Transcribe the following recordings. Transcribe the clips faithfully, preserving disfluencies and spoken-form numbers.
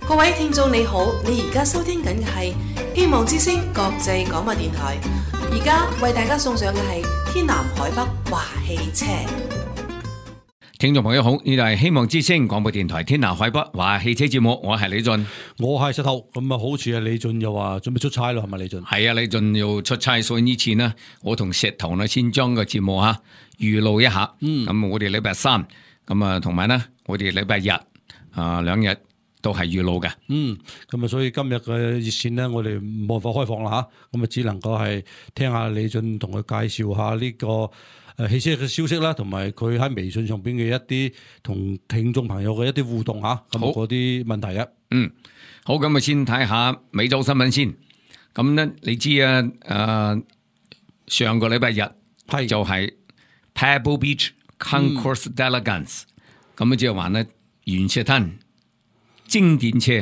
各位聽眾你好，你而家收聽緊嘅係希望之聲國際廣播電台，而家為大家送上嘅係天南海北話汽車。聽眾朋友好，呢度係希望之聲廣播電台天南海北話汽車節目，我係李俊，我係石頭。咁啊，好似啊李俊又話準備出差咯，係咪李俊？係啊，李俊要出差，所以呢次呢，我同石頭呢先將個節目吓預錄一下。嗯，咁我哋禮拜三，咁啊同埋呢，我哋禮拜日啊兩日都係預錄嘅。嗯，咁啊，所以今日嘅熱線呢，我哋冇辦法開放啦吓，咁啊只能夠係聽下李俊同佢介紹下呢個誒汽車嘅消息啦，同埋佢喺微信上邊嘅一啲同聽眾朋友嘅一啲互動吓，咁嗰啲問題嘅。嗯，好，咁啊先睇下美洲新聞先。咁咧，你知啊，誒、呃、上個禮拜日係就係 Pebble Beach Concours d'Elegance，咁啊即係話咧原車灘經典車，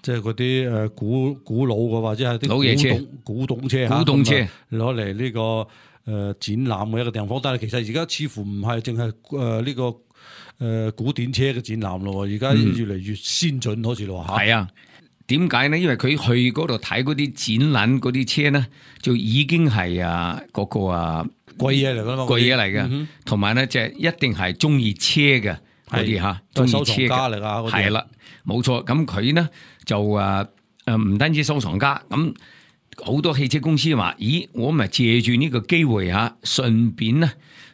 即係嗰啲誒古古老嘅或者係啲老爺車、古董車、古董車攞嚟呢個誒、呃、展覽嘅一個地方。但係其實而家似乎唔係淨係誒呢個誒、呃、古典車嘅展覽咯，而家越嚟越先進，好似咯嚇。係啊，點解呢？因為佢去嗰度睇嗰啲展覽嗰啲車呢，就已經係啊嗰個啊貴嘢嚟㗎嘛，貴嘢嚟嘅，同埋呢就係一定係中意車嘅嗰啲嚇，中意車嚟啊，係啦。冇錯，咁佢呢就誒誒唔單止收藏家，咁好多汽車公司話：咦，我咪借住呢個機會嚇，順便呢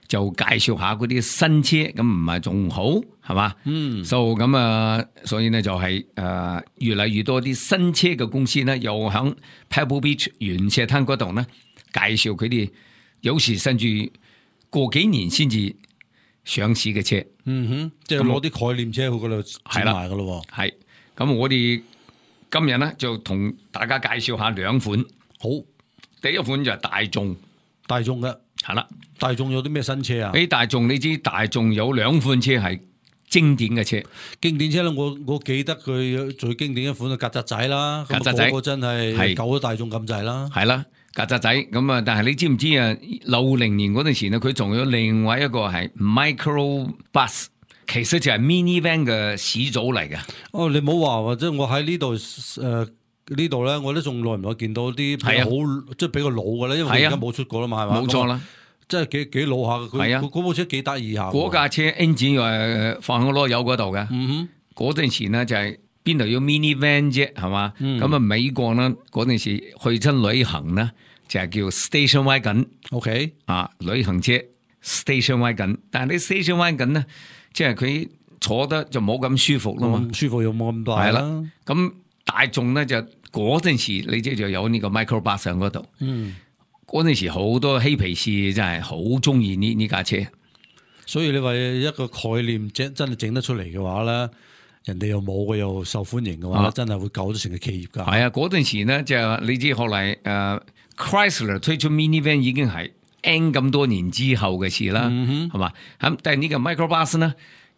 就介紹下嗰啲新車，咁唔係仲好係嘛？嗯，所以咁啊，所以呢就係、是、誒、呃、越嚟越多啲新車嘅公司呢，又喺 Pebble Beach 原車灘嗰度呢介紹佢哋，有時甚至過幾年先至上市嘅車。嗯哼，即係攞啲概念車去嗰度展賣噶咯。係，咁我哋今日咧就同大家介紹下兩款。好，第一款就係大眾，大眾嘅係啦。大眾有啲咩新車啊？誒，大眾你知大眾有兩款車係經典嘅車，經典車咧，我我記得佢最經典一款係曱甴仔啦，曱甴仔嗰個真係救咗大眾咁滯啦。係啦。曱甴仔咁啊！但係你知唔知啊？六零年嗰陣時呢，佢仲有另外一個係 micro bus， 其實就係 minivan 嘅始祖嚟嘅。哦，你唔好話或者我喺呢度誒呢度咧，我都仲耐唔耐見到啲係好即係比較老嘅咧，因為佢而家冇出過啦嘛，係嘛？冇錯啦，即係幾幾老下嘅。係啊，嗰部車幾得意下。嗰架車 engine 又係放喺籮柚嗰度嘅。嗯哼，嗰陣時呢就係邊度有 minivan 啫，係嘛？咁啊、嗯、美國呢嗰陣時去親旅行呢。就係叫 station wagon，OK 啊，旅行車 station wagon， 但係你 station wagon 咧，即係佢坐得就冇咁舒服咯嘛，舒服又冇咁大。係啦，咁大眾咧就嗰陣時，你即就有呢個 micro bus 上嗰度。嗯，嗰陣時好多嬉皮士真係好中意呢呢架車，所以你話一個概念真真係整得出嚟嘅話咧，人哋又冇嘅又受歡迎嘅話，啊、真係會救咗成個企業噶。係啊，嗰陣時咧就你知後嚟誒。呃Chrysler 推出 minivan 已經係 N 咁多年之後嘅事啦，係嘛、嗯？咁但係呢個 microbus 呢，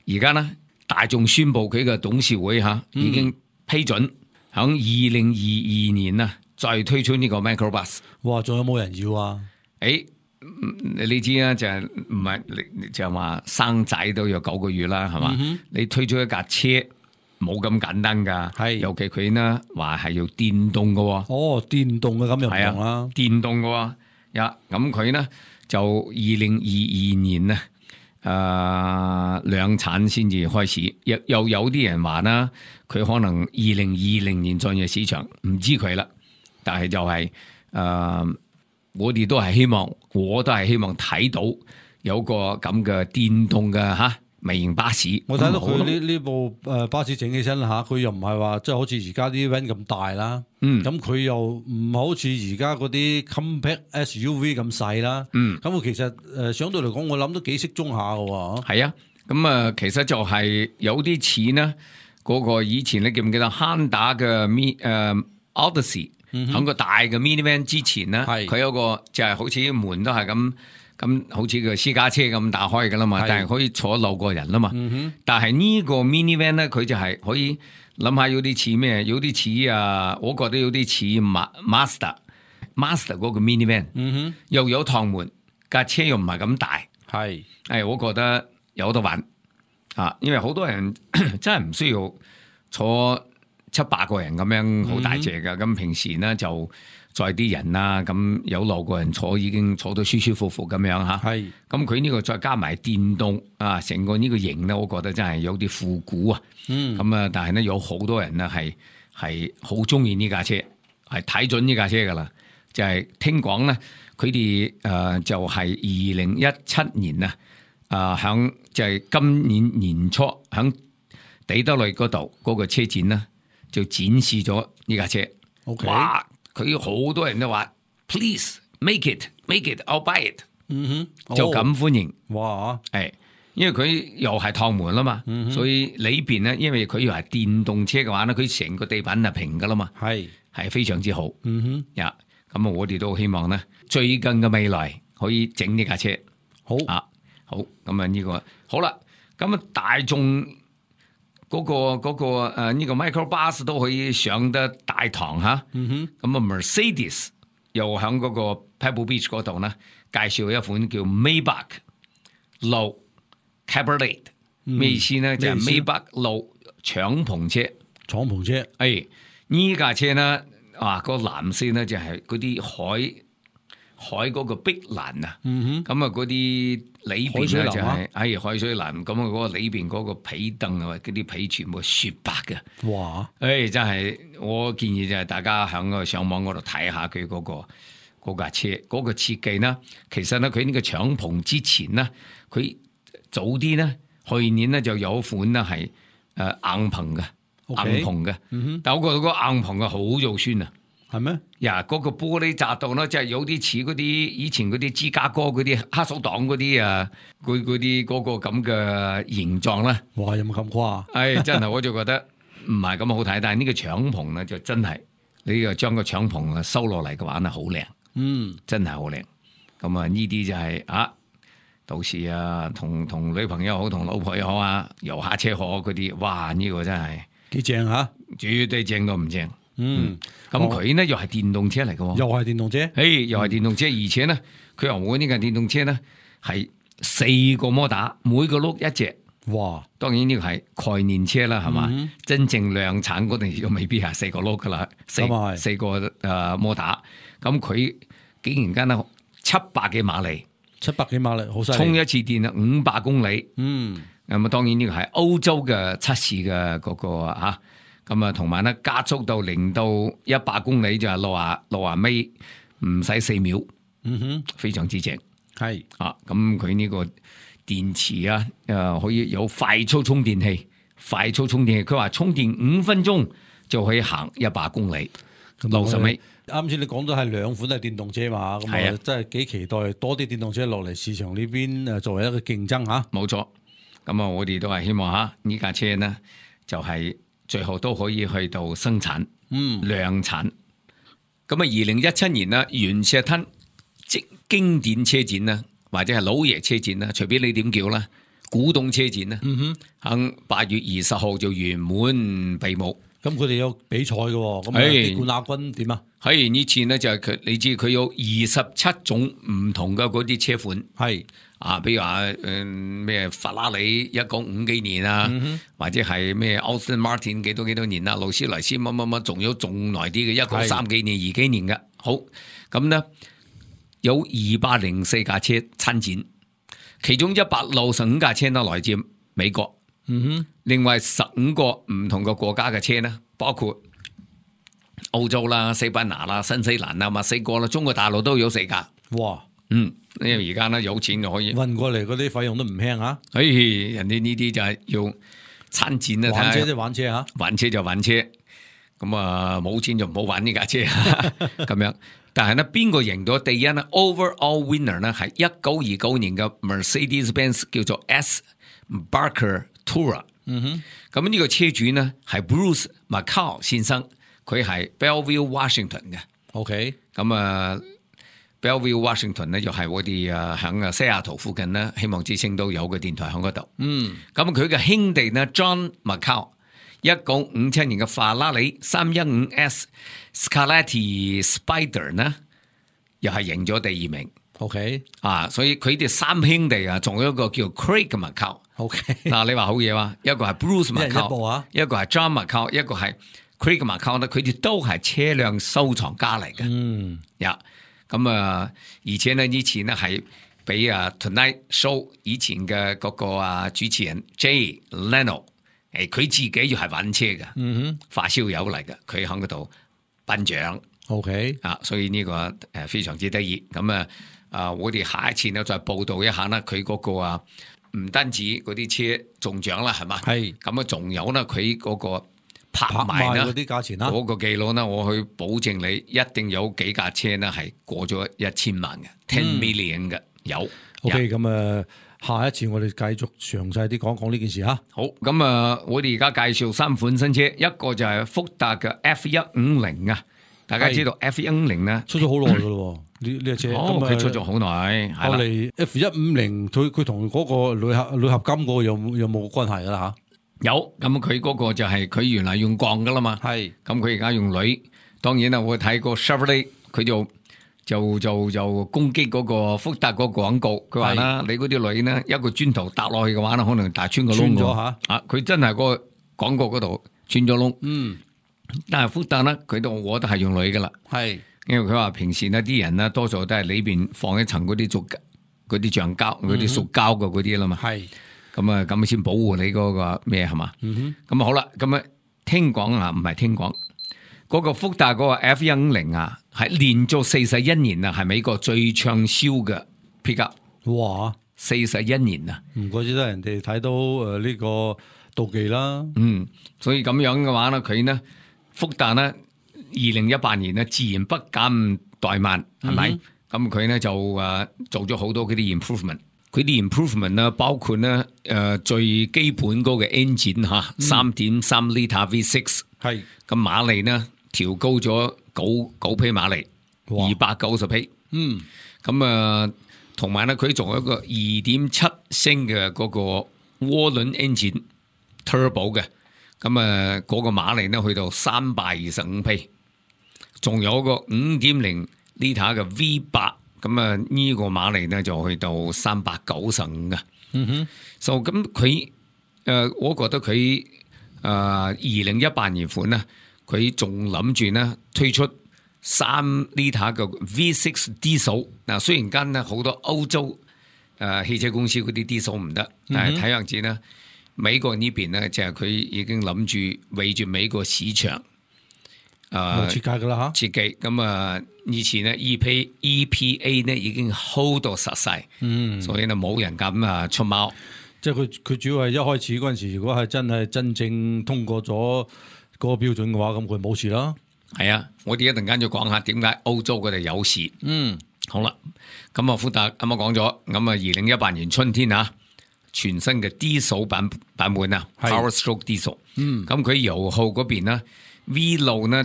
而家呢大眾宣布佢嘅董事會吓已經批准響二零二二年啊再推出呢個 microbus。哇！仲有冇人要啊？誒，你知啊，就係唔係就係話生仔都有九個月啦，係嘛？嗯、你推出一架車。冇咁簡單噶，係尤其佢呢話係要電動嘅。哦，電動嘅咁又唔同啦，電動嘅呀，咁佢呢就二零二二年呢誒量產先至開始，又又有啲人話啦，佢可能二零二零年進入市場，唔知佢啦。但係就係、是、誒、呃，我哋都係希望，我都係希望睇到有個咁嘅電動嘅吓。微型巴士，我睇到佢呢呢部誒巴士整起身吓，佢又唔係話即係好似而家啲 van 咁大啦，嗯，咁佢又唔好似而家嗰啲 compact S U V 咁細啦，嗯，咁我其實誒相對嚟講，我諗都幾適中下嘅，係啊，咁啊，其實就係有啲似呢嗰個以前你記唔記得 Honda 嘅 Mi 誒 Odyssey 喺個大嘅 minivan 之前呢，係佢有個就係好似門都係咁。咁好似個私家車咁打開噶啦嘛，但係可以坐六個人啦嘛。嗯、但係呢個 minivan 咧，佢就係可以諗下有啲似咩？有啲似啊，我覺得有啲似 Master，Master 嗰個 minivan，嗯、又有趟門，架車又唔係咁大。係，誒，我覺得有得玩啊，因為好多人真係唔需要坐七八個人咁樣，好大隻㗎。咁、嗯、平時咧就載啲人啦，咁有六個人坐已經坐到舒舒服服咁樣嚇。係。咁佢呢個再加埋電動啊，成個呢個型咧，我覺得真係有啲復古啊。嗯。咁啊，但係咧有好多人咧係係好中意呢架車，係睇準呢架車噶啦。就係聽講咧，佢哋誒就係二零一七年啊，啊響就係今年年初響底特律嗰度嗰個車展咧，就展示咗呢架車。OK，哇！佢好多人都話 ，Please make it，make it，I'll buy it。嗯哼，就咁歡迎。哇！係，因為佢又係趟門啦嘛，嗯、所以裏邊咧，因為佢又係電動車嘅話咧，佢成個地板係平噶啦嘛，係係非常之好。嗯哼，呀，咁啊，我哋都希望咧，最近嘅未來可以整呢架車。好啊，好，咁啊呢個好啦，咁啊大眾嗰、那個嗰、那個誒呢、呃這個 microbus 都可以上得大堂吓。嗯哼，咁啊 Mercedes 又喺嗰個 Pebble Beach 嗰度咧。介紹一款叫 Maybach Low Cabriolet， 咩、嗯、意思咧？就係、是、Maybach Low 敞篷車，敞篷車。誒呢架車咧，啊、那個藍色咧就係嗰啲海海嗰個碧藍啊。嗯哼，咁啊嗰啲裏邊咧就係、是、誒海水藍，咁啊嗰個裏邊嗰個皮凳啊，嗰啲皮全部雪白嘅。哇！誒真係，我建議就係大家喺個上網嗰度睇下佢嗰、那個。嗰架車嗰、那個設計呢，其實咧佢呢個敞篷之前呢，佢早啲呢，去年呢就有款呢係誒硬篷嘅、okay. 硬篷嘅、嗯，但我覺得個硬篷嘅好肉酸啊，係咩？呀，嗰個玻璃窄度呢，即係有啲似嗰啲以前嗰啲芝加哥嗰啲黑手黨嗰啲啊，佢嗰啲嗰個咁嘅形狀咧。哇！有冇咁誇？誒，真係我就覺得唔係咁好睇，但係呢個敞篷呢，就真係你又將個敞篷啊收落嚟嘅話呢，好靚。嗯，真係好靚，咁啊呢啲就係、是、啊，到時啊同同女朋友好，同老婆又好啊，遊下車河嗰啲，哇呢、這個真係幾正吓，絕對正到唔正。嗯，咁佢呢、哦、又係電動車嚟嘅，又係電動車，誒又係電動車，嗯、而且呢佢又我呢架電動車呢係四個摩打，每個轆一隻。哇！當然呢個係概念車啦，係嘛、嗯？真正量產嗰陣時未必係四個轆噶啦，四四個誒摩打。咁佢竟然間咧七百幾馬力，七百幾馬力好犀利，充一次電啊五百公里。嗯，咁啊當然呢個係歐洲嘅測試嘅嗰個啊，咁啊同埋咧加速到零到一百公里就係六啊六啊米，唔使四秒。嗯哼，非常之正。係啊，咁佢呢個電池啊，誒可以有快速充電器，快速充電器，佢話充電五分鐘就可以行一百公里，六十米。啱先你講到係兩款係電動車嘛，咁啊真係幾期待多啲電動車落嚟市場呢邊誒，作為一個競爭吓。冇錯，咁啊我哋都係希望吓呢架車呢，就係最後都可以去到生產，嗯，量產。咁啊，二零一七年啦，原石灘即經典車展啦，或者係老爺車展啦，隨便你點叫啦，古董車展啦，嗯哼，喺八月二十號就圓滿閉幕。咁佢哋有比賽嘅，咁啊啲冠亞軍點啊？係呢次呢，就係佢，你知佢有二十七種唔同嘅嗰啲車款，係啊，比如話誒咩法拉利一九五幾年啊，嗯、或者係咩 Aston Martin 幾多幾多年啊，勞斯萊斯乜乜乜，仲有仲耐啲嘅一九三幾年、二幾年嘅。好，咁呢，有二百零四架車參展，其中一百六十五架車呢來自美國。嗯哼，另外十五個唔同嘅國家嘅車呢，包括澳洲啦、西班牙啦、新西蘭啦、墨西哥啦、中國大陸都有四架。哇，嗯，因為而家呢有錢就可以運過嚟，嗰啲費用都唔輕啊。誒、哎，人哋呢啲就係要參展啦，玩車即係玩車吓，玩車就玩車。咁啊，冇錢就唔好玩呢架車咁樣。但係呢，邊個贏到第一呢 ？Overall winner 呢係一九二九年嘅 Mercedes-Benz 叫做 S Barker Tourer， 嗯哼，咁呢個車主呢係 Bruce Macau 先生，佢係 Bellevue Washington 嘅 ，OK，咁啊 Bellevue Washington 呢又係我哋啊響啊西雅圖附近呢，希望之星都有個電台響嗰度，嗯，咁佢嘅兄弟呢 John Macau， 一九五七年嘅法拉利三一五 S Scarlatti Spider 呢，又係贏咗第二名。OK， 啊，所以佢哋三兄弟啊，仲有一個叫 Craig Macau。OK， 嗱、啊，你話好嘢哇，一個係 Bruce Macau， 一個係 John Macau， 一個係 Craig McCown 咧，佢哋都係車輛收藏家嚟嘅。嗯，呀，咁啊，而且呢，以前呢係俾啊 Tonight Show 以前嘅嗰個啊主持人 Jay Leno， 誒佢自己要係玩車嘅，嗯哼，發燒友嚟嘅，佢喺嗰度頒獎。OK，啊，所以呢個誒非常之得意。咁啊啊，我哋下一次呢再報導一下啦，佢嗰個啊唔單止嗰啲車中獎啦，係嘛？係咁啊，仲有呢，佢嗰個拍拍賣呢賣嗰啲價錢啦，嗰個記錄呢，我去保證你一定有幾架車呢係過咗一千萬嘅 ten million 嘅有。 OK，咁啊，下一次我哋繼續詳細啲講講呢件事嚇。好，咁啊，我哋而家介紹三款新車，一個就係福特嘅 F 一五零啊。大家知道 F 一五零咧出咗好耐噶咯，呢呢隻車，哦，咁啊佢出咗好耐，係啦。後嚟 F 一五零，佢佢同嗰個鋁合鋁合金嗰個有有冇關係噶啦有，咁佢嗰個就係佢原來用鋼噶啦嘛，嚇？係，咁佢而家用鋁。當然啦，我睇過 Chevrolet 佢就就就就攻擊嗰個福特嗰個廣告，佢話啦，你嗰啲鋁呢，一個磚頭搭落去嘅話呢，可能大穿個窿穿咗喎嚇。啊，佢真係個廣告嗰度穿咗窿。嗯，但係福特呢，佢都我都係用鋁噶啦。係，因為佢話平時呢啲人呢，多數都係裏邊放一層嗰啲塑嗰啲橡膠、嗰啲塑膠嘅嗰啲啦嘛。係，咁啊，咁先保護你嗰個咩係嘛？嗯咁啊好啦，咁啊聽講啊，唔係聽講，嗰個福特嗰個 F 一五零啊，係連續四十一年啊，係美國最暢銷嘅 pickup，哼，哇，四十一年啊，唔怪之得人哋睇到誒呢個妒忌啦。嗯，所以咁樣嘅話咧，佢呢福特呢，二零一八年呢，自然不減怠慢，係咪？咁佢呢就誒做咗好多嗰啲 improvement。佢啲 improvement 呢，包括呢誒、呃、最基本嗰個 engine 嚇，三點三 litre V 六，係，咁馬力呢調高咗九九匹馬力，哇二百九十匹。嗯，咁啊，同埋呢，佢仲有一個二點七升嘅嗰個渦輪 engine turbo 嘅，咁啊嗰個馬力呢去到三百二十五匹，仲有一個五點零 litre 嘅 V 八。咁啊，呢個馬力呢就去到三百九十五嘅。嗯哼，就咁佢誒，我覺得佢誒二零一八年款呢，佢仲諗住呢推出三 litre 嘅 V 六 diesel。嗱，雖然間呢好多歐洲誒、呃、汽車公司嗰啲 diesel 唔得，但係睇樣子呢，美國呢邊呢，就係、是、佢已經諗住為住美國市場。誒、呃、設計噶啦嚇，設計咁啊！以前咧 E P E P A 呢已經 hold 到實勢，嗯，所以呢冇人敢啊出貓。即係佢佢主要係一開始嗰陣時，如果係真係真正通過咗嗰個標準嘅話，咁佢冇事啦。係啊，我哋一陣間就講下點解歐洲佢哋有事。嗯，好啦，咁啊福特啱啱講咗，咁啊二零一八年春天啊，全新嘅 diesel 版版本啊 ，Power Stroke Diesel。嗯，咁佢油耗嗰邊呢 V 六呢？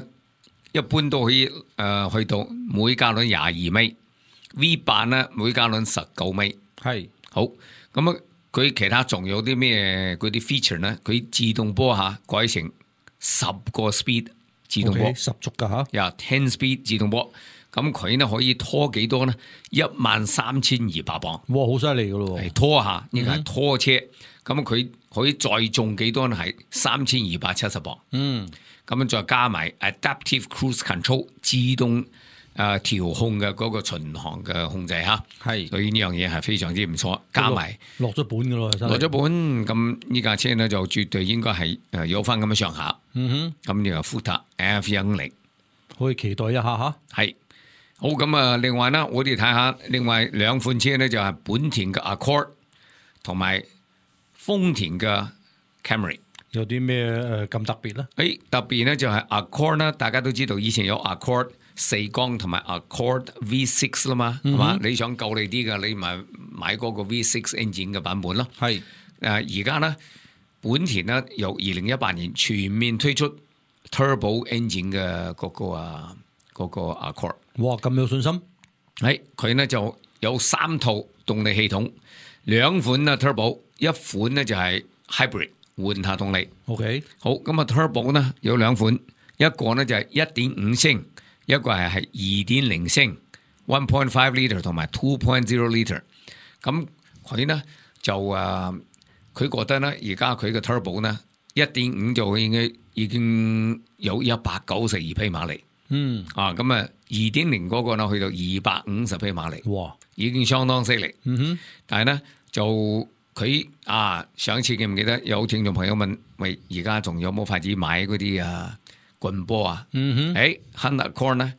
一般都可以誒、呃、去到每加侖廿二米 ，V 八咧每加侖十九米。係好咁啊！佢其他仲有啲咩嗰啲 feature 咧？佢自動波下改成十個 speed 自動波， okay，十足噶嚇。呀 ten speed 自動波，咁佢呢可以拖幾多呢？一萬三千二百磅。哇，好犀利噶咯！係拖下呢個係拖車，咁佢、嗯、可以載重幾多呢？係三千二百七十磅。嗯。咁樣再加埋 Adaptive Cruise Control 自動誒、呃、調控嘅嗰個巡航嘅控制嚇，係，所以呢樣嘢係非常之唔錯。加埋落咗本嘅咯，落咗本，咁呢架車呢就絕對應該係誒有翻咁嘅上下。嗯哼，咁呢個福特 F 一五零可以期待一下嚇。係好咁啊！另外呢，我哋睇下另外兩款車呢，就係本田嘅 Accord 同埋豐田嘅 Camry。有啲咩誒咁特別咧？誒特別咧就係 Accord 啦，大家都知道以前有 Accord 四缸同埋 Accord V 六啦嘛，係嘛、嗯？你想夠力啲嘅，你咪買嗰個 V 六 engine 嘅版本咯。係誒而家咧，本田咧由二零一八年全面推出 Turbo engine 嘅嗰個啊嗰個 Accord。哇！咁有信心？係佢咧就有三套動力系統，兩款啊 Turbo， 一款咧就係 Hybrid。換下動力 ，OK， 好咁啊 Turbo 呢有兩款，一個呢就係一點五升，一個係係二點零升 ，one point five litre 同埋 two point zero litre。咁佢呢就誒，佢、呃、覺得呢而家佢嘅 Turbo 呢一點五就應該已經有一百九十二匹馬力。嗯啊，咁啊，二點零嗰個呢去到二百五十匹馬力，哇，已經相當犀利。嗯哼，但係呢，就佢啊，上次記唔記得有聽眾朋友問，喂，而家仲有冇法子買嗰啲啊棍波啊？嗯哼，誒 Hunter Corn 呢，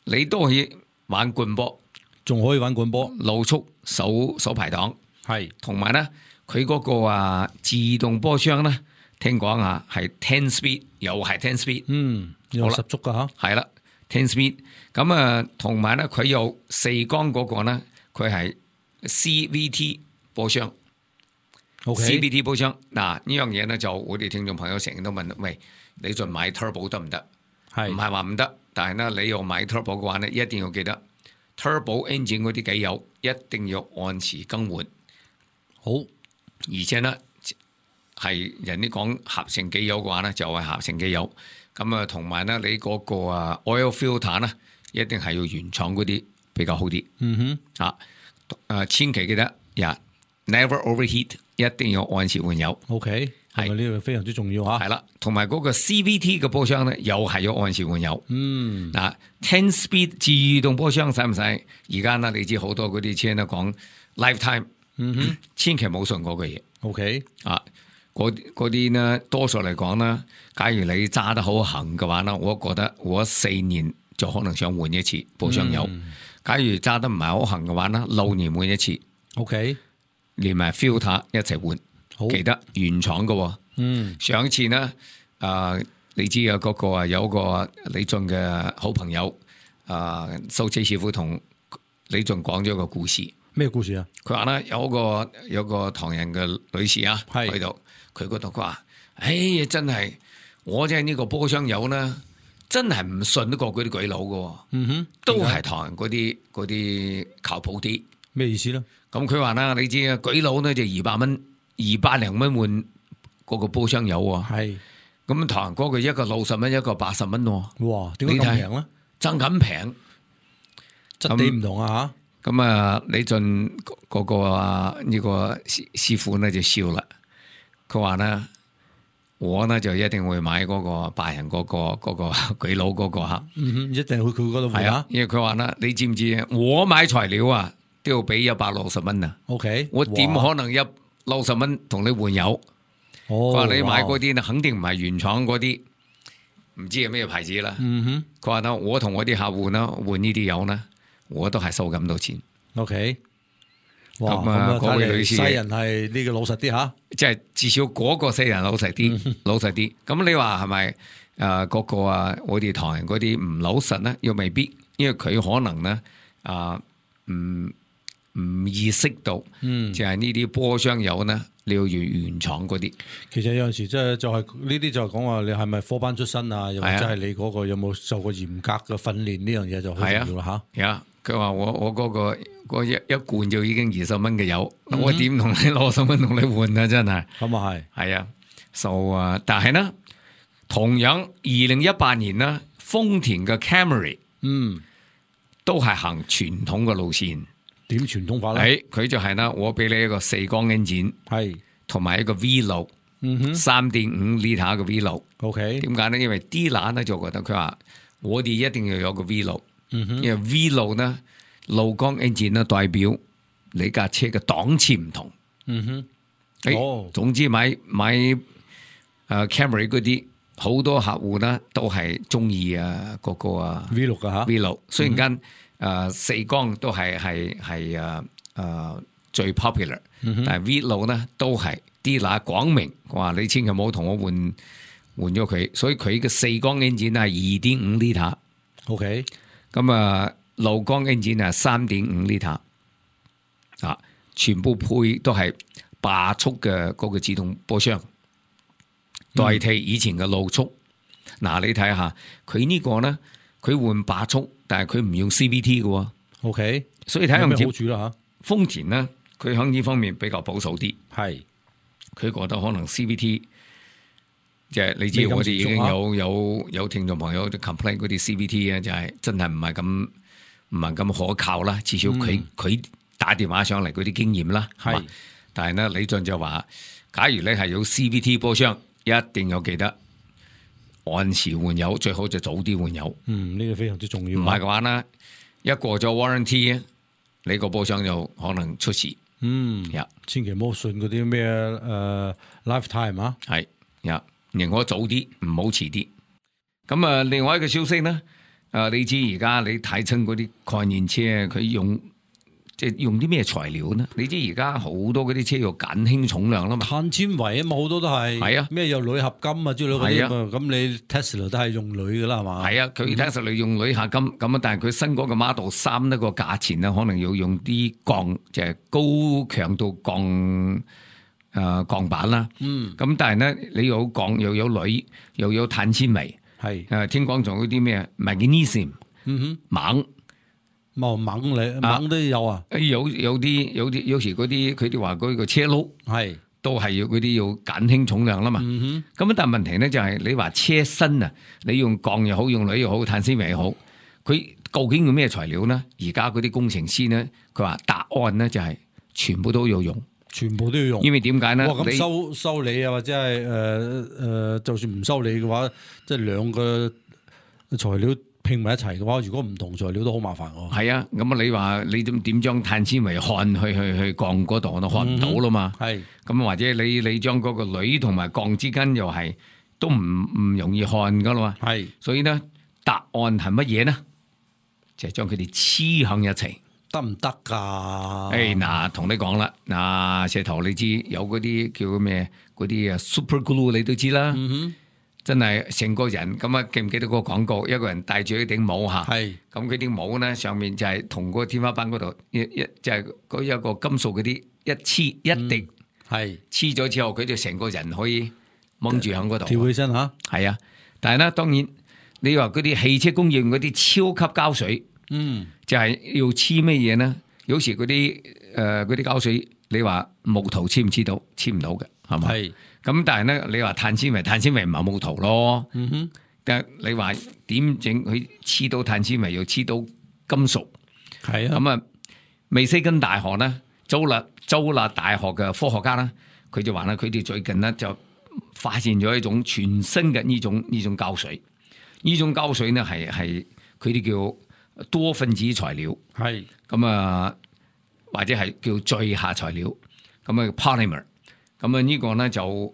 你都可以玩棍波，仲可以玩棍波，路速手手排檔，係同埋呢，佢嗰個啊自動波箱呢，聽講啊係 ten speed，又係 ten speed，嗯，有十足噶吓，係啦。ten speed 咁啊，同埋咧佢有四缸嗰個咧，佢係 C V T 波箱。OK C V T 波箱嗱呢樣嘢咧，就我哋聽眾朋友成日都問，喂，你盡買 turbo 得唔得？係唔係話唔得？但係咧，你要買 turbo 嘅話咧，一定要記得 turbo engine 嗰啲機油一定要按時更換。好，而且咧係人哋講合成機油嘅話咧，就係合成機油。咁啊，同埋咧，你嗰個啊 oil filter 咧，一定係要原廠嗰啲比較好啲。嗯哼，啊，誒千祈記得呀、yeah, ，never overheat，一定要按時換油。哼 ，OK，係呢個非常之重要嚇。係啦，同埋嗰個 C V T 嘅波箱咧，又係要按時換油。嗯，嗱、啊、ten speed 自動波箱使唔使？而家呢，你知好多嗰啲車咧講 lifetime，嗯哼，千祈冇信嗰個嘢。OK，啊。嗰嗰啲呢，多數嚟講呢，假如你揸得好行嘅話呢，我覺得我四年就可能想換一次波箱油。嗯、假如揸得唔係好行嘅話呢，六年換一次。OK，連埋 filter 一齊換。好，記得原廠嘅。嗯，上一次呢，啊、呃，你知啊，嗰個啊有個李俊嘅好朋友啊，修車師傅同李俊講咗個故事。咩故事啊？佢話咧有個有個唐人嘅女士啊，係喺度。佢嗰度佢話：哎呀，真係我真係呢個波箱油呢，真係唔信得過嗰啲鬼佬嘅。嗯哼，都係唐人嗰啲嗰啲靠譜啲。咩意思咧？咁佢話啦，你知啊，鬼佬呢就二百蚊，二百零蚊換嗰個波箱油啊。係。咁唐人嗰個一個六十蚊，一個八十蚊喎。哇！點解咁平咧？爭緊平，質地唔同啊嚇。咁啊，李俊嗰個啊呢個師師傅呢就笑啦。佢話咧，我呢就一定會買嗰個白人嗰、嗰個嗰、嗰個鬼佬嗰個嚇，嗯哼，一定去佢嗰度換啊！因為佢話咧，你知唔知啊？我買材料啊都要俾一百六十蚊啊。OK，我點可能一六十蚊同你換油？佢話、哦、你買嗰啲呢，肯定唔係原廠嗰啲，唔知係咩牌子啦。嗯哼，佢話咧，我同我啲客戶呢換呢啲油呢，我都係收咁多錢。OK。咁啊，嗰位女士，西人係呢個老實啲吓，即係至少嗰個西人老實啲，嗯、老實啲。咁你話係咪誒嗰個啊？我哋唐人嗰啲唔老實咧，又未必，因為佢可能咧啊，唔、呃、唔意識到，嗯，就係呢啲波箱油咧，你要原原廠嗰啲。其實有陣時即係就係呢啲就係講話你係咪科班出身啊？又或者係你嗰個有冇受過嚴格嘅訓練呢樣嘢就好重要啦吓。啊，佢話我我嗰、嗰個一一罐就已經二十蚊嘅油，嗯、我點同你攞十蚊同你換啊？真係咁啊係，係啊，就啊，但係呢，同樣二零一八年呢，豐田嘅 Camry， 嗯，都係行傳統嘅路線。點傳統法咧？佢就係啦，我俾你一個四缸 engine， 係同埋一個 V 六，嗯哼，三點五 liter 嘅 V 六。OK，點解呢？因為 dealer 呢就覺得佢話我哋一定要有個 V 六，嗯哼，因為 V 六呢。路缸 engine 咧代表你架車嘅檔次唔同，嗯哼，誒、哦，總之買買誒 Camry 嗰啲好多客戶咧都係中意啊嗰個啊 V 六噶吓 V 六，雖然間誒、嗯呃、四缸都係係係誒誒最 popular，、嗯、但係 V 六咧都係啲嗱講明話你千祈唔好同我換換咗佢，所以佢嘅四缸 engine 係二點五 liter，OK， 咁啊。路缸 engine 係三點五 liter， 啊，全部配都係八速嘅嗰個自動波箱，代替以前嘅六速。嗱、嗯，你睇下佢呢個咧，佢換八速，但係佢唔用 C V T 嘅。OK， 所以睇下咩好處啦吓。豐田咧，佢喺呢方面比較保守啲，係佢覺得可能 C V T。即係你知我哋已經有有有聽眾朋友都 complain 嗰啲 C V T 啊，就係真係唔係咁。唔係咁可靠啦，至少佢佢、嗯、打電話上嚟嗰啲經驗啦，係。但係咧，李俊就話：假如你係有 C V T 波箱，一定要記得按時換油，最好就早啲換油。嗯，呢、這個非常之重要。唔係嘅話咧，一過咗 warranty，你個保險就可能出事。嗯，呀，千祈唔好信嗰啲咩誒 lifetime 啊。係呀，寧可早啲，唔好遲啲。咁啊，另外一個消息咧，誒，你知而家你睇親嗰啲概念車，佢用即係用啲咩材料呢？你知而家好多嗰啲車要減輕重量啦嘛，碳纖維啊嘛，好多都係。係啊，咩有鋁合金啊之類嗰啲啊，咁你 Tesla 都係用鋁噶啦，係嘛？係啊，佢 Tesla 用鋁合金咁啊，但係佢新嗰個 Model 三呢個價錢咧，可能要用啲鋼，即係高強度鋼誒鋼板啦。嗯，咁但係咧，你有鋼又有鋁又有碳纖維，係誒聽講仲有啲咩 Magnesium， 嗯哼，錳。冇錳嚟，錳都有啊！有有啲有啲有時嗰啲佢哋話嗰個車轆係都係要嗰啲要減輕重量啦嘛。咁、嗯、但係問題咧就係你話車身啊，你用鋼又好，用鋁又好，碳纖維又好，佢究竟用咩材料咧？而家嗰啲工程師咧，佢話答案咧就係全部都要用，全部都要用。因為點解咧？哇！咁收收你啊，或者係誒誒，就算唔收你嘅話，即係兩個材料拼埋一齊嘅話，如果唔同材料都好麻煩喎。係啊，咁啊你話你點點將碳纖維焊去去去鋼嗰度，我都焊唔到啦嘛。係、嗯，咁或者你你將嗰個鋁同埋鋼之間又係都唔唔容易焊噶啦嘛。係，所以咧答案係乜嘢呢？就係將佢哋黐響一齊，得唔得噶？誒嗱，同你講啦，嗱石頭你知有嗰啲叫咩？嗰啲啊 super glue 你都知啦。嗯哼。真係成個人咁啊！記唔記得個廣告？一個人戴住一頂帽嚇，係咁佢頂帽咧上面就係同個天花板嗰度一一就係嗰一個金屬嗰啲一黐一滴，係黐咗之後佢就成個人可以掹住喺嗰度跳起身嚇。係啊，但係咧當然你話嗰啲汽車工業用嗰啲超級膠水，嗯，就係要黐咩嘢咧？有時嗰啲誒嗰啲膠水，你話木頭黐唔黐到？黐唔到嘅，係嘛？係。咁但係咧，你話碳纖維，碳纖維唔係木頭咯。嗯哼，但係你話點整佢黐到碳纖維，又黐到金屬？係啊。咁啊，密西根大學咧，州立州立大學嘅科學家咧，佢就話咧，佢哋最近咧就發現咗一種全新嘅呢種呢種膠水。呢種膠水咧係係佢哋叫多分子材料。係。咁啊，或者係叫聚合材料。咁啊 polymer。咁啊呢個咧就誒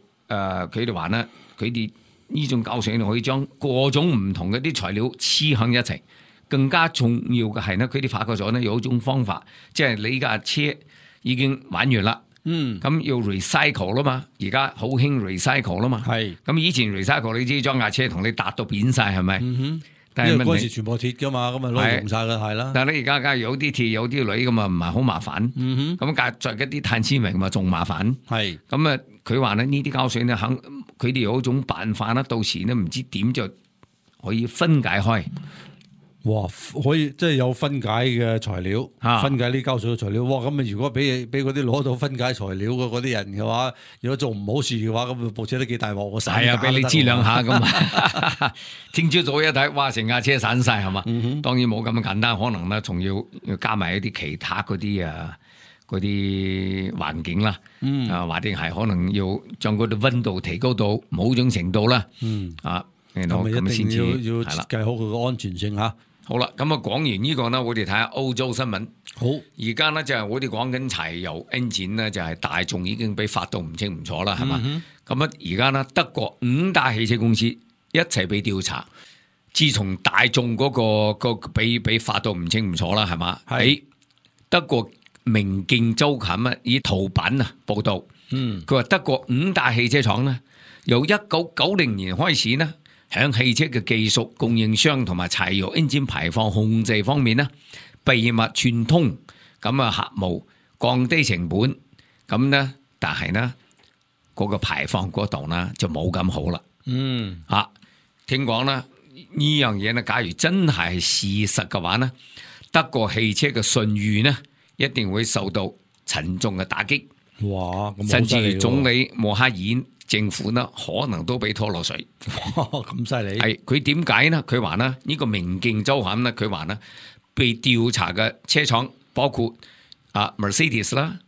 佢哋話咧，佢哋呢種膠水可以將各種唔同嘅啲材料黐喺一齊。更加重要嘅係咧，佢哋發覺咗咧有一種方法，即係你架車已經玩完啦，嗯，咁要 recycle 啦嘛，而家好興 recycle 啦嘛，係。咁以前 recycle 你知將架車同你搭到扁晒係咪？嗯哼。但係因為嗰時全部鐵噶嘛，咁啊攞用晒啦，係啦。但係你而家梗係有啲鐵有啲鋁咁啊，唔係好麻煩。嗯哼。咁夾着一啲碳纖維咁啊，仲麻煩。係。咁啊，佢話咧呢啲膠水咧，肯佢哋有一種辦法啦，到時咧唔知點就可以分解開。哇！可以即係有分解嘅材料，啊、分解呢膠水嘅材料。哇！咁啊，如果俾俾嗰啲攞到分解材料嘅嗰啲人嘅話，如果做唔好事嘅話，咁部車都幾大鑊。係啊，俾你知兩下咁啊！聽朝早一睇，哇！成架車散晒係嘛？嗯、哼當然冇咁簡單，可能咧仲要要加埋一啲其他嗰啲啊嗰啲環境啦。嗯、啊，或者係可能要將嗰啲溫度提高到某種程度啦。嗯。啊，咁咪一定要要設計好佢個安全性嚇。好啦，咁啊講完呢個呢，我哋睇下歐洲新聞。好，而家呢，就係我哋講緊柴油 engine 呢，就係大眾已經俾發到唔清唔楚啦，係嘛？咁啊而家呢，德國五大汽車公司一齊被調查。自從大眾嗰、嗰個個俾俾發到唔清唔楚啦，係嘛？喺德國明鏡周刊啊，以圖版啊報道，嗯，佢話德國五大汽車廠呢，由一九九零年開始呢。喺汽車嘅技術供應商同埋柴油 engine 排放控制方面呢，秘密串通，咁啊合謀降低成本，咁呢，但係呢嗰、嗰個排放嗰度呢就冇咁好啦。嗯，啊，聽講啦呢樣嘢呢，假如真係事實嘅話呢，德國汽車嘅信譽呢一定會受到沉重嘅打擊。哇，甚至總理默克爾政府呢可能都被拖落水。咁犀利！係佢點解呢？佢話呢，呢、這個明鏡周刊呢，佢話呢被調查嘅車廠包括啊 Mercedes 啦，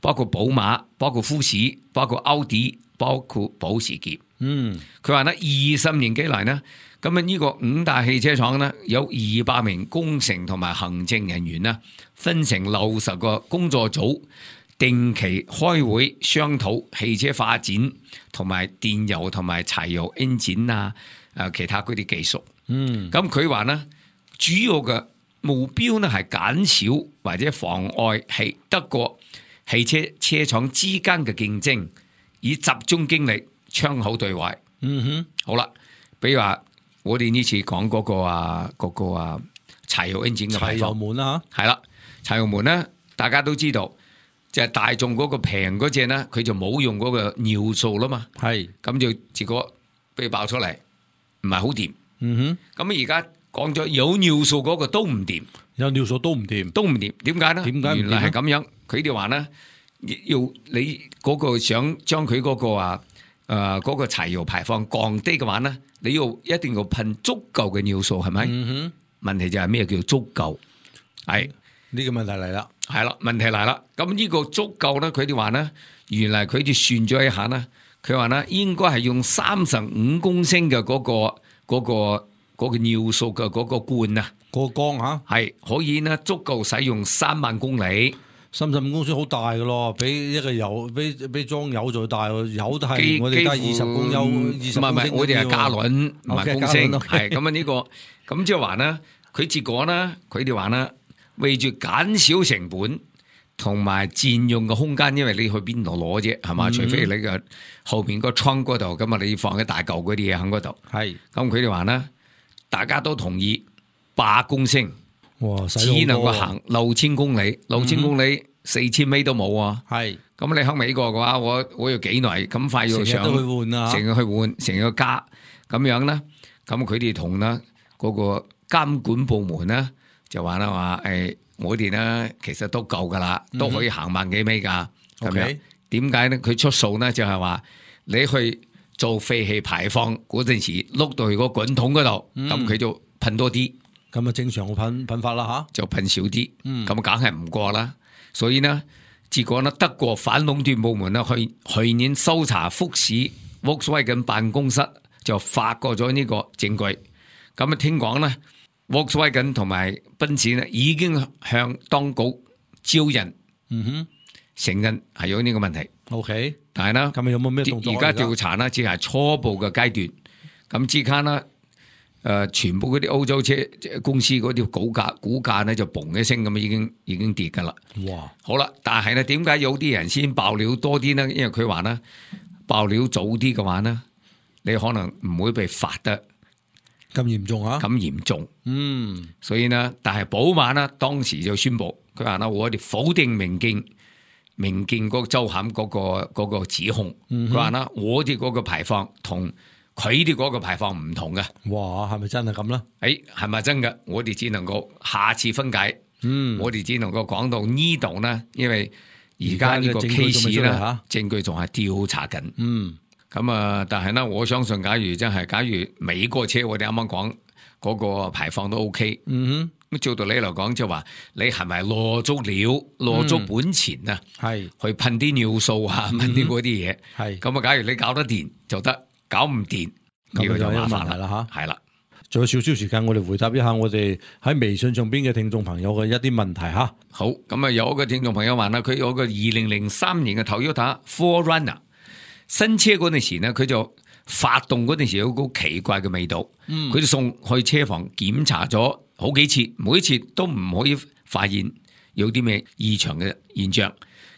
包括寶馬，包括富士，包括奧迪，包括保時捷。嗯，佢話咧二十年幾嚟呢，咁啊呢個五大汽車廠呢，有二百名工程同埋行政人員啦，分成六十個工作組，定期開會商討汽車發展同埋電油同埋柴油 engine 啊，誒其他嗰啲技術。嗯，咁佢話呢，主要嘅目標呢係減少或者妨礙係德國汽車車廠之間嘅競爭，以集中精力窗口對外。嗯哼，好啦，比如話我哋呢次講嗰個啊，嗰、嗰個啊柴油 engine 嘅柴油排放，門啦係啦，柴油門咧，大家都知道，就係大眾嗰個平嗰隻咧，佢就冇用嗰個尿素啦嘛，嚇，係，咁就結果被爆出嚟，唔係好掂。嗯哼，咁而家講咗有尿素嗰個都唔掂，有尿素都唔掂，都唔掂，點解咧？點解唔掂呢原來係咁樣，佢哋話咧，要你嗰個想將佢嗰個啊誒嗰個柴油排放降低嘅話咧，你要一定要噴足夠嘅尿素，係咪？嗯問題就係咩叫足夠？係哼，呢個問題嚟啦，係啦，問題嚟啦。咁呢個足夠咧，佢哋話咧，原來佢哋算咗一下咧，佢話咧應該係用三十五公升嘅嗰個嗰個嗰個尿素嘅嗰個罐啊，個缸嚇，係可以咧足夠使用三萬公里。三十五公升好大嘅咯，比一個油比比裝油再大喎，油都係幾我哋得二幾乎十公油，二十唔係唔係，我哋係加侖，侖唔係 OK，公升，加侖，OK 係咁啊呢個咁即係話咧，佢結果咧，佢哋話咧，為住減少成本同埋佔用嘅空間，因為你去邊度攞啫，係嘛？嗯除非你個後邊個倉嗰度，咁啊你放一大嚿嗰啲嘢喺嗰度，係，咁佢哋話咧，大家都同意八公升，哇，使只能夠好多行六千公里，六千公里四千米都冇啊！係，咁你喺美國嘅話，我我要幾耐咁快要上？成日都去換啊，成日去換，成日加咁樣啦。咁佢哋同啦嗰個監管部門咧就話啦話誒，我哋咧其實都夠噶啦，都可以行萬幾米噶。咁樣 OK 點解咧？佢出數咧就係話你去做廢氣排放嗰陣時，碌到去個滾筒嗰度，咁佢、就噴多啲，咁啊正常嘅噴噴法啦就噴少啲，嗯咁梗係唔過啦。所以呢，結果呢，德國反壟斷部門呢去去年搜查福士 Volkswagen 辦公室，就發覺咗呢個證據。咁啊，聽講呢 Volkswagen 同埋賓士呢已經向當局招人，嗯哼承認係有呢個問題。 ，OK，但係呢，咁啊有冇咩動作啊？而家調查呢，只係初步嘅階段。咁之間呢，誒、呃、全部嗰啲歐洲車公司嗰啲股價股價呢就嘣一聲咁已經已經跌㗎啦。哇，好啦，但係咧，點解有啲人先爆料多啲呢？因為佢話呢，爆料早啲嘅話呢，你可能唔會被罰得咁嚴重啊？咁嚴重。嗯，所以呢，但係寶馬呢，當時就宣布，佢話呢，我哋否定明鏡明鏡嗰個周刊嗰個嗰個指控。佢話呢，我哋嗰個排放同佢哋嗰個排放唔同嘅。哇，係咪真係咁咧？誒，係咪真嘅？我哋只能夠下次分解。嗯，我哋只能夠講到呢度呢，因為而家呢個而家嘅證據仲未 case 出嚟咧嚇，證據仲係調查緊。嗯，咁啊，但係呢，我相信假如真係，假如美國車我哋啱啱講嗰個排放都 OK。嗯咁照道理嚟講，就話你係咪攞足料、攞足本錢啊？哼，係去噴啲尿素啊，噴啲嗰啲嘢。係，咁啊，假如你搞得掂就得，搞唔掂呢個就咁就有麻煩啦。問題啦嚇。係啦。仲有少少時間，我哋回答一下我哋喺微信上邊嘅聽眾朋友嘅一啲問題嚇。好，咁啊有一個聽眾朋友話啦，佢有個二零零三年嘅 Toyota four runner 新車嗰陣時呢，佢就發動嗰陣時有個奇怪嘅味道，佢就送去車房檢查咗好幾次，每一次都唔可以發現有啲咩異常嘅現象。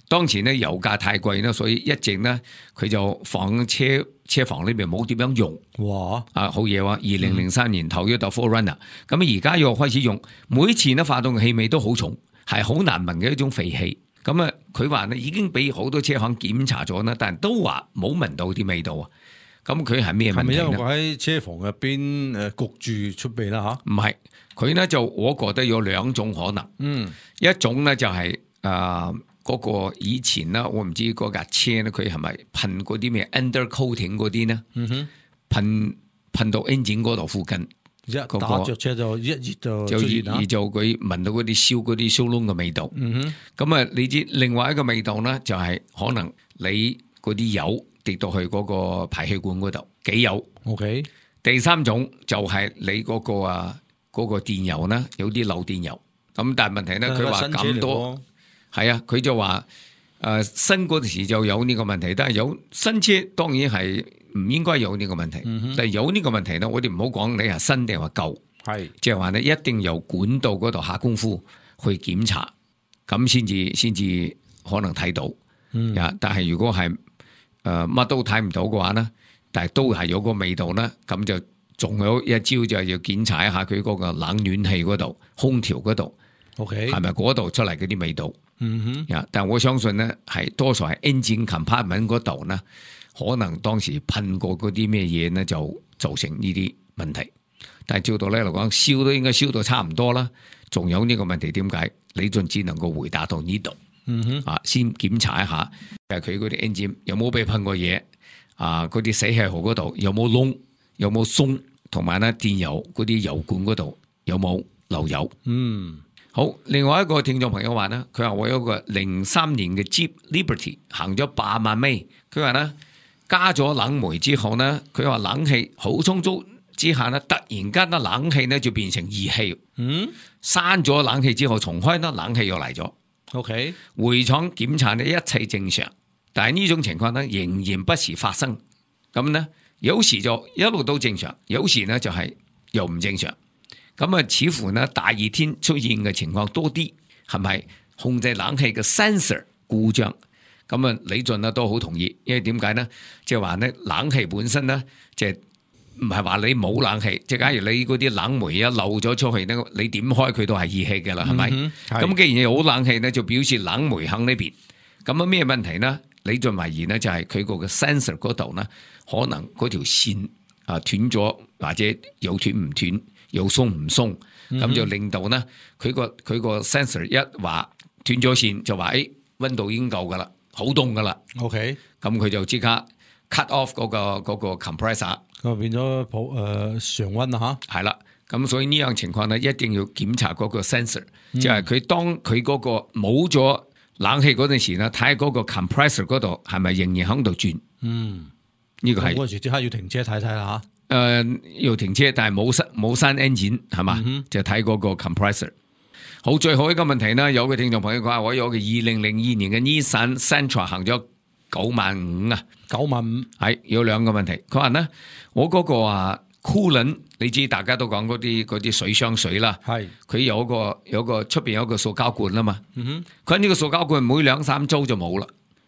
當時呢，油價太貴啦，所以一直呢，佢就放車車房裏邊冇點樣用。哇！啊，好嘢喎！二零零三年頭一代 four runner，咁而家又開始用，每次呢發動嘅氣味都好重，係好難聞嘅一種肥氣。咁啊，佢話呢已經俾好多車行檢查咗啦，但係都話冇聞到啲味道啊。咁佢係咩問題係咪因為呢？佢喺車房入邊誒焗住出味啦嚇？唔係，佢呢就我覺得有兩種可能。嗯，一種呢就係誒嗰個以前啦，我唔知嗰架車咧，佢係咪噴嗰啲咩 undercoating 嗰啲呢？嗯哼，噴噴到 engine 嗰度附近。一打着車就一熱就就出現啦而。就佢聞到嗰啲燒嗰啲燒窿嘅味道。嗯哼，咁啊，你知另外一個味道咧，就係可能你嗰啲油跌到去嗰個排氣管嗰度，機油。OK。第三種就係你嗰個啊嗰個電油呢，有啲漏電油。咁但係問題咧，佢話咁多，係啊，佢就話誒、呃、新嗰陣時就有呢個問題，但係有新車當然係唔應該有呢個問題。嗯、但係有呢個問題咧，我哋唔好講你係新定係話舊，係即係話你一定由管道嗰度下功夫去檢查，咁先至先至可能睇到。嗯、但係如果係誒乜都睇唔到嘅話咧，但係都係有個味道咧，咁就仲有一招就係要檢查一下佢嗰個冷暖氣嗰度、空調嗰度。OK， 係咪嗰度出嚟嗰啲味道？嗯哼，但我相信咧，係多數係 engine compartment 嗰度咧，可能當時噴過嗰啲咩嘢咧，就造成呢啲問題。但係照道理嚟講，燒都應該燒到差唔多啦。仲有呢個問題點解？李俊只能夠回答到呢度。嗯哼，啊，先檢查一下，誒，佢嗰啲 engine 有冇被噴過嘢？啊，嗰啲死氣喉嗰度有冇窿？有冇鬆？同埋咧，電油嗰啲油管嗰度有冇漏油？嗯。好，另外一個聽眾朋友話呢，佢話我有個零三年嘅 Jeep Liberty 行咗八萬米，佢話呢，加咗冷媒之後呢，佢話冷氣好充足之下呢，突然間呢冷氣呢就變成熱氣，嗯，閂咗冷氣之後重開呢冷氣又嚟咗 ，OK， 回廠檢查呢一切正常，但係呢種情況呢仍然不時發生，咁呢有時就一路都正常，有時呢就係又唔正常。咁啊，似乎呢大熱天出現嘅情況多啲，係咪控制冷氣嘅 sensor 故障？咁啊，李俊呢都好同意，因為點解呢？即係話呢，冷氣本身呢，即係唔係話你冇冷氣，即係假如你嗰啲冷媒一漏咗出去呢，你點開佢都係熱氣嘅啦，係咪？咁、嗯、既然有冷氣呢，就表示冷媒喺呢邊。咁啊，咩問題呢？李俊懷疑呢，就係佢個嘅 sensor 嗰度呢，可能嗰條線啊斷咗，或者有斷唔斷？又鬆唔鬆，咁就令到呢，佢個佢個 sensor 一話斷咗線，就話誒溫度已經夠噶啦，好凍噶啦。OK， 咁佢就即刻 cut off 嗰、嗰個、嗰個 compressor， 咁變咗普誒常溫啦吓。係啦，咁所以呢樣情況呢，一定要檢查嗰個 sensor，即係佢當佢嗰個冇咗冷氣嗰陣時呢，睇下嗰個 compressor 嗰度係咪仍然喺度轉。嗯，呢、這個係嗰時即刻要停車睇睇啦吓。誒、呃，要停車，但係冇閂冇閂 engine 係嘛、嗯，就睇嗰個 compressor。好，最後一個問題呢，有個聽眾朋友講，我有個二零零二年嘅 Nissan Sentra 行咗九萬五啊，九萬五係有兩個問題。佢話呢，我嗰個啊 coolant， 你知大家都講嗰啲嗰啲水箱水啦，係佢有個有個出邊有個塑膠罐啊嘛，嗯哼，佢呢個塑膠罐每兩三周就冇啦，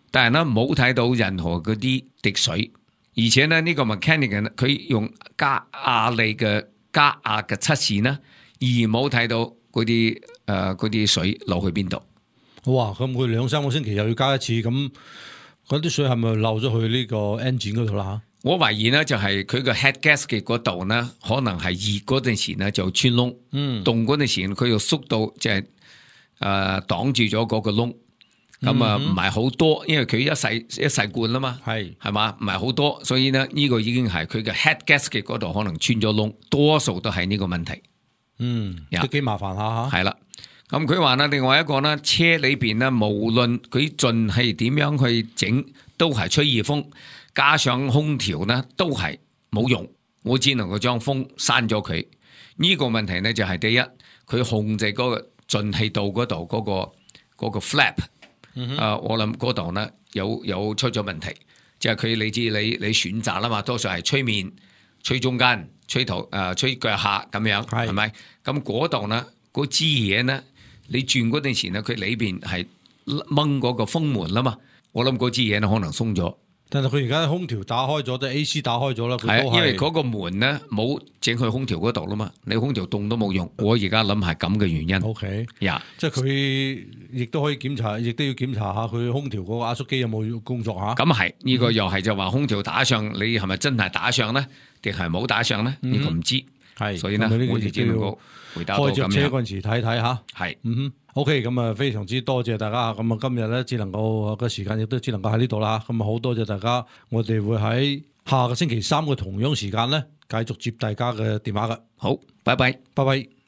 但係呢冇睇到任何嗰啲滴水。而且呢，呢、這個 mechanic 佢用加壓力嘅加壓嘅測試呢，而冇睇到嗰啲誒嗰啲水流去邊度。哇！咁佢兩三個星期又要加一次，咁嗰啲水係咪漏咗去呢個 engine 嗰度啦？吓，我懷疑呢，就係佢個 head gasket 嗰度呢，可能係熱嗰陣時呢就穿窿，嗯，凍嗰陣時佢又縮到即係誒擋住咗嗰個窿。咁啊，唔係好多，因為佢一細一細罐啦嘛，係係嘛，唔係好多，所以呢，呢個已經係佢嘅 head gasket 嗰度可能穿咗窿，多數都係呢個問題。嗯，都幾麻煩下吓。係啦，咁佢話呢，另外一個呢，車裏邊呢，無論佢盡係點樣去整，都係吹熱風，加上空調呢，都係冇用。我只能夠將風閂咗佢。呢個問題呢，就係第一，佢控制嗰個進氣道嗰度嗰個嗰個 flap。嗯、啊！我諗嗰度呢有有出咗問題，即係佢你知你你選擇啦嘛，多數係吹面、吹中間、吹頭誒、呃、吹腳下咁樣，係咪？咁嗰度呢嗰支嘢呢，你轉嗰陣時呢，佢裏邊係掹嗰個風門啦嘛，我諗嗰支嘢呢可能鬆咗。但係佢而家空調打開咗，即係 A C 打開咗啦。係啊，因為嗰個門咧冇整去空調嗰度啦嘛，你空調凍都冇用。我而家諗係咁嘅原因。O K， 呀，即係佢亦都可以檢查，亦都要檢查下佢空調嗰個壓縮機有冇工作吓。咁係呢個又係就話空調打上，你係咪真係打上咧，定係冇打上咧？呢、嗯這個唔知。係，所以呢，我哋只能夠回答到咁樣。開着車嗰陣時睇睇吓。係，嗯哼。O K， 咁啊，非常之多謝大家。咁啊，今日咧只能夠個時間亦都只能夠喺呢度啦。咁啊，好多謝大家。我哋會喺下個星期三嘅同樣時間咧，繼續接大家嘅電話㗎。好，拜拜，拜拜。